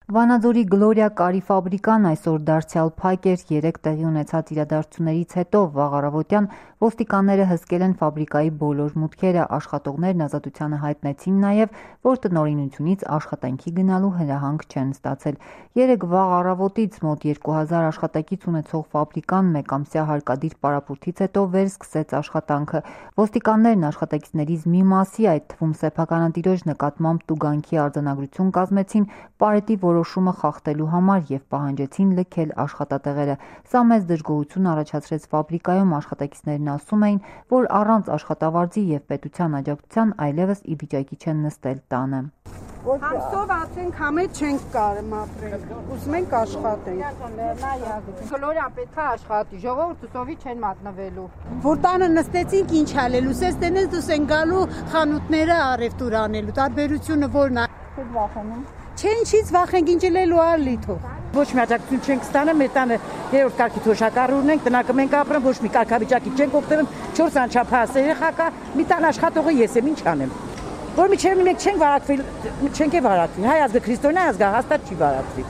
Վանաձորի Գլորիա կարի ֆաբրիկան այսօր դարձյալ փակ էր 3 տեղի ունեցած իրադարձություններից հետո վաղ առավոտյան ոստիկանները հսկել են ֆաբրիկայի բոլոր մուտքերը, աշխատողներն ազատությանը հայտնեցին նաև, որ տնօրինությունից աշխատանքի գնալու հրահանգ չեն ստացել։ 3 վաղ առավոտից մոտ 2000 աշխատակից ունեցող ֆաբրիկան մեկամսյա հարկադիր պարապուրտից հետո վերսկսեց աշխատանքը։ Ոստիկաններն աշխատակիցներից մի մասի, այդ թվում սեփականատիրոջ նկատմամբ տուգանքի արձանագրություն կազմեցին պարետի որոշումը խախտելու համար և պահանջեցին լքել աշխատատեղերը։ Սա մեծ դժգոհություն առաջացրեց ֆաբրիկայում, աշխատակիցներն ասում էին, որ առանց աշխատավարձի և պետության աջակցության այլևս ի վիճակի չեն նստել տանը։ Համսով ասենք համետ չենք կարում ապրենք, ուզում ենք աշխատենք։ Գլորիան պետք է աշխատի, ժողովուրդը սովի չեն մատնվելու։ Որ տանը նստեցինք ինչ անելու, սես տենես դուս են գալու խանութները առևտուր անելու, տարբերությունը որն է։ Չեք վախենում։ Չից վախենք ինչ լելու ալիթո։ Ոչ մի աջակցություն չենք ստանում, մեր տանը 3-րդ կարգի թոշակառ ունենք, տնակը մենք ապրում, ոչ մի կարգավիճակի չենք օգտվում, 4 անչափահաս երեխա կա, մի տան աշխատողը ես եմ, ինչ անեմ։ Որ միջև մենք չենք վարակվի, հայ ազգը քրիստոնյա ազգ է, հաստատ չի վարակվի։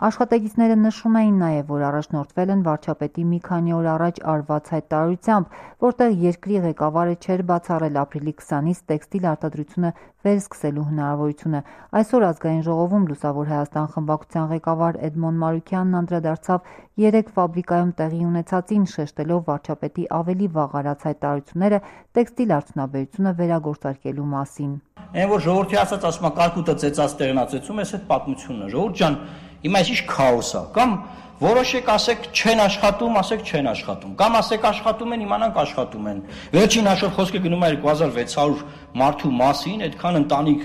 Աշխատակիցները նշում էին նաև, որ առաջնորդվել են վարչապետի մի քանի օր առաջ արված հայտարարությամբ, որտեղ երկրի ղեկավարը չէր բացառել ապրիլի 20-ից տեքստիլ արտադրությունը վերսկսելու հնարավորությունը։ Այսօր ազգային ժողովում Լուսավոր Հայաստան խմբակցության ղեկավար Էդմոն Մարուկյանն անդրադարձավ 3 ֆաբրիկայում տեղի ունեցածին, շեշտելով վարչապետի ավելի վաղ արած հայտարարությունները տեքստիլ արդյունաբերությունը վերագործարկելու մասին։ Այն որ ժողովրդի ասում է կարկուտը ծեծած տեղնացեցում, այս այդ պատմությունն է։ Ժողովուրդ ջան, հիմա այս ինչ քաոս է, կամ որոշեք ասեք չեն աշխատում, ասեք չեն աշխատում, կամ ասեք աշխատում են, իմանանք աշխատում են։ Վերջին հաշվով խոսքը գնում է 2600 մարդու մասին, այդքան ընտանիք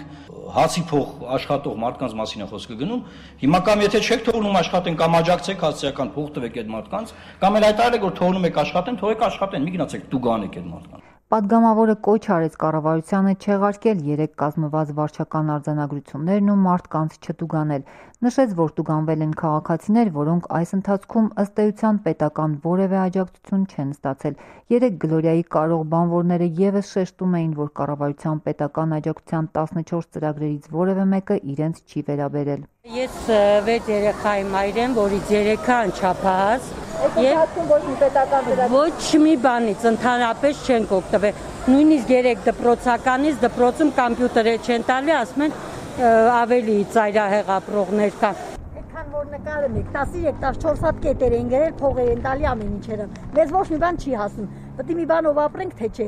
հացի փող աշխատող մարդկանց մասին է խոսքը գնում։ Հիմա կամ եթե չեք թողնում աշխատեն, կամ աջակցեք հասարակական փող տվեք այդ մարդկանց, կամ էլ հայտարարեք որ թողնում եք աշխատեն, թողեք աշխատեն, մի գնացեք տուգանեք այդ մարդկանց։ Պատգամավորը կոչ արեց կառավարությանը չեղարկել 3 կազմված վարչական արձանագրություններն ու մարդկանց չտուգանել։ Նշեց, որ տուգանվել են քաղաքացիներ, որոնք այս ընթացքում ըստ էության պետական որևէ աջակցություն չեն ստացել։ 3 Գլորիայի կարող բանվորները ևս շեշտում էին, որ կառավարության պետական աջակցության 14 ծրագրերից որևէ մեկը իրենց չի վերաբերել։ Ես 6 երեխայի մայր եմ, որից 3-ը անչափահաս։ Ոչ մի բանից ընդհանրապես չենք օգտվել։ Նույնիսկ 3 դպրոցականից դպրոցում կամպյուտեր չեն տալի, ասում են ավելի ծայրահեղ ապրողներ կան։ Այդքան որ նկարում եք, 13-14 հատ կետեր են գրել, փողեր են տալի ամեն ինչերը։ Մեզ ոչ մի բան չի հասնում։ Պետք է մի բանով ապրենք, թե չէ։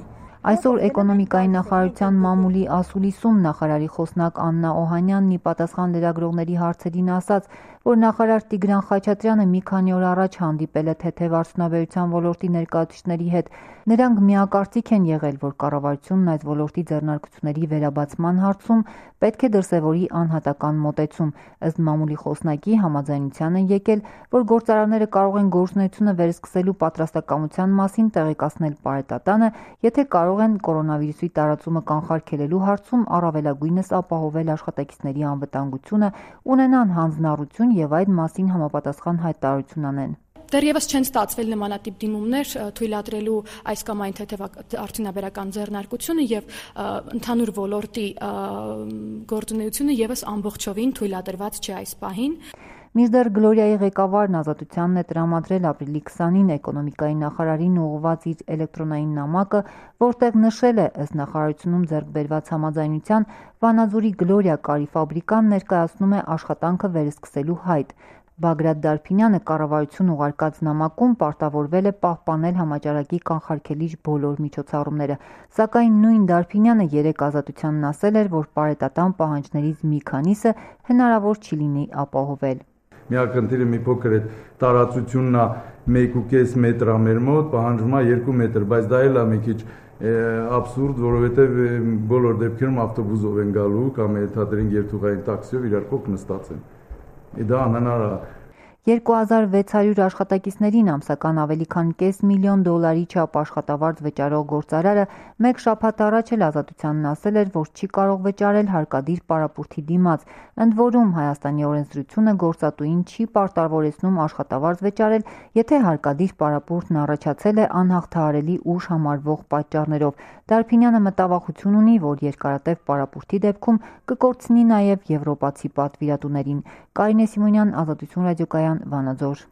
Այսօր էկոնոմիկայի նախարարության մամուլի ասուլիսում նախարարի խոսնակ Աննա Օհանյանն ի պատասխան լրագրողների հարցերին ասաց, որ նախարար Տիգրան Խաչատրյանը մի քանի օր առաջ հանդիպել է թեթև արդյունաբերության ոլորտի ներկայացուցիչների հետ։ Նրանք միակարծիք են եղել, որ կառավարությունն այս ոլորտի ձեռնարկությունների վերաբացման հարցում պետք է դրսևորի անհատական մոտեցում։ Ըստ մամուլի խոսնակի համաձայնության են եկել, որ գործարանները կարող են գործունեությունը վերսկսելու պատրաստակամության մասին տեղեկացնել պարետատանը, եթե կարող են կորոնավիրուսի տարածումը կանխարգելելու հարցում առավելագույնս ապահովել աշխատակիցների անվտանգությունը, ունենան հանձնառություն և այդ մասին համապատասխան հայտարարություն անեն։ Դեռևս չեն ստացվել նմանատիպ դիմումներ թույլատրելու այս կամ այն թեթև արդյունաբերական ձեռնարկությունը եւ ընդհանուր ոլորտի գործունեությունը եւս ամբողջովին թույլատրված չէ այս պահին։ Մինչդեռ Գլորիայի ղեկավարն Ազատությանն է տրամադրել ապրիլի 20-ին էկոնոմիկայի նախարարին ուղղված իր էլեկտրոնային նամակը, որտեղ նշել է ըստ նախարարությունում ձեռք բերված համաձայնության Վանաձորի Գլորիա կարի ֆաբրիկան ներկայացնում է աշխատանքը վերսկսելու հայտ։ Բագրատ Դարփինյանը կառավարություն ուղարկած նամակում պարտավորվել է պահպանել համաճարակի կանխարգելիչ բոլոր միջոցառումները, սակայն նույն Դարփինյանը 3 Ազատությանն ասել էր, որ պարետատան պահանջներից մի քանիսը հնարավոր չի լինի ապահովել։ Միակընթիրը մի փոքր է տարածությունն է 1.5 մետր մեր մոտ, պահանջվում է 2 մետր, բայց դա էլ է մի քիչ absurd, որովհետև բոլոր դեպքերում ավտոբուսով են գալու կամ ենթադրենք երթուղային տաքսիով իրար կողք նստած են։ Դա անհնար է։ 2600 աշխատակիցներին ամսական ավելի քան $500 միլիոն չափ աշխատավարձ վճարող գործարարը մեկ շաբաթ առաջ էլ Ազատությանն ասել էր, որ չի կարող վճարել հարկադիր պարապուրտի դիմաց։ Ընդ որում Հայաստանի օրենսդրությունը գործատուին չի պարտավորեցնում աշխատավարձ վճարել, եթե հարկադիր պարապուրտն առաջացել է անհաղթահարելի ուժ համարվող պատճառներով։ Դարփինյանը մտավախություն ունի, որ երկարատև պարապուրտի դեպքում կկորցնի նաև եվրոպացի պատվիրատուներին։ Կարինե Սիմոնյան, Ազատություն ռադիոկայան, Վանաձոր։